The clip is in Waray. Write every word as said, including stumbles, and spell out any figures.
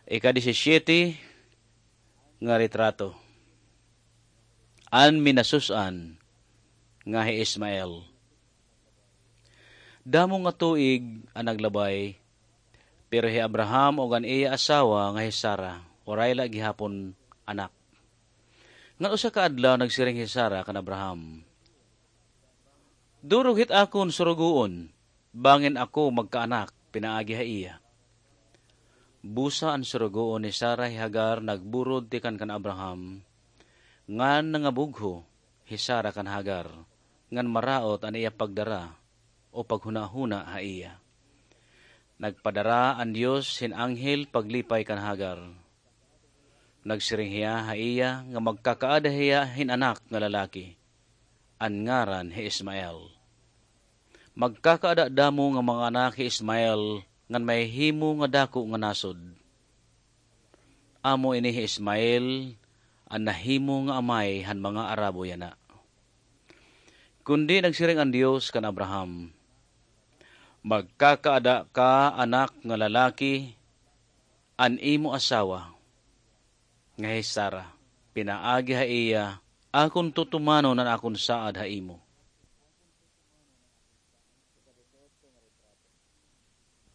Ika-disisiyete nga retrato. An minasus-an nga hi Ismael. Damo nga tuig an naglabay, pero hi Abraham ug an iya asawa nga hi Sara, waray la gihapon anak. Ngan usa ka adlaw nagsiring hi Sara kan Abraham, "Durog hit akon surugoon, bangin ako magkaanak pinaagi ha iya." Busa an surugoon ni Sara hi Hagar nagburod tikang kan Abraham, ngan nangabugho hi Sara kan Hagar, ngan maraot an iya pagdara o paghunahuna ha iya. Nagpadara an Dios hin anghel paglipay kan Hagar. Nagsiring hiya ha iya nga magkakaada hiya hin anak nga lalaki, an ngaran hi Ismael. Magkakaada damo nga mga anak hi Ismael ngan mahihimo nga dako nga nasod. Amo ini hi Ismael an nahimo nga amay han mga Arabo yana. Kundi nagsiring an Dios kan Abraham, "Magkakaada ka anak nga lalaki, an imo asawa nga hi Sara, pinaagi ha iya akon tutumanon an akon saad ha imo."